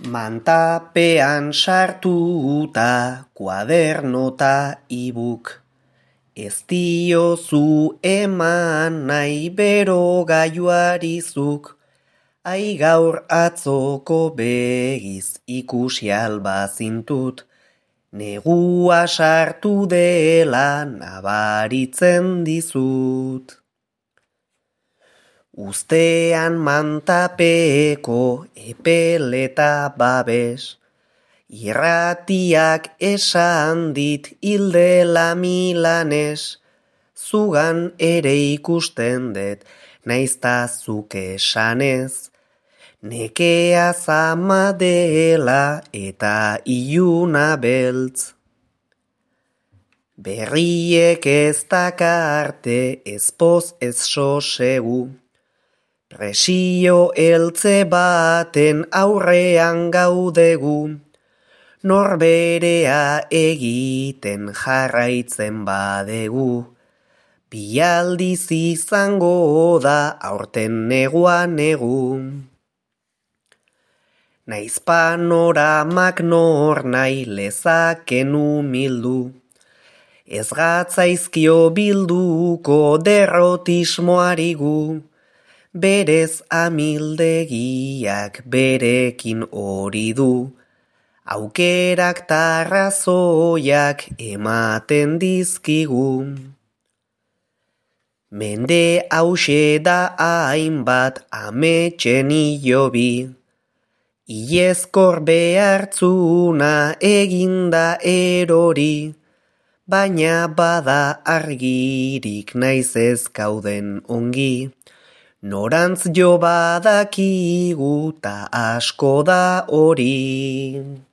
Mantapean sartuta kuadernota ibuk. Ez diozu eman nahi bero gaiuarizuk. Ai gaur atzoko begiz ikusi albazintut. Negua sartu dela nabaritzen dizut. Ustean mantapeko epeleta babes, irratiak esan dit hildela Milanes, zugan ere ikusten dut, naizta zuk esanez, nekea zama dela eta iluna beltz. Berriek ez dakarte ez poz ez sosegu, presio eltze baten aurrean gaudegu, norberea egiten jarraitzen badegu, bialdiz izango da aurten negua negu. Naiz panoramak nor nahi lezaken umildu, ez gatzaizkio bilduko derrotismoari gu, berez amildegiak berekin hori du, aukerak tarrazoiak ematen dizkigu. Mende hause da hainbat ametsen hilobi, ilezkor behartzuna eginda erori, baina bada argirik naiz ez gauden ongi, norantz jo badakigu ta asko da hori.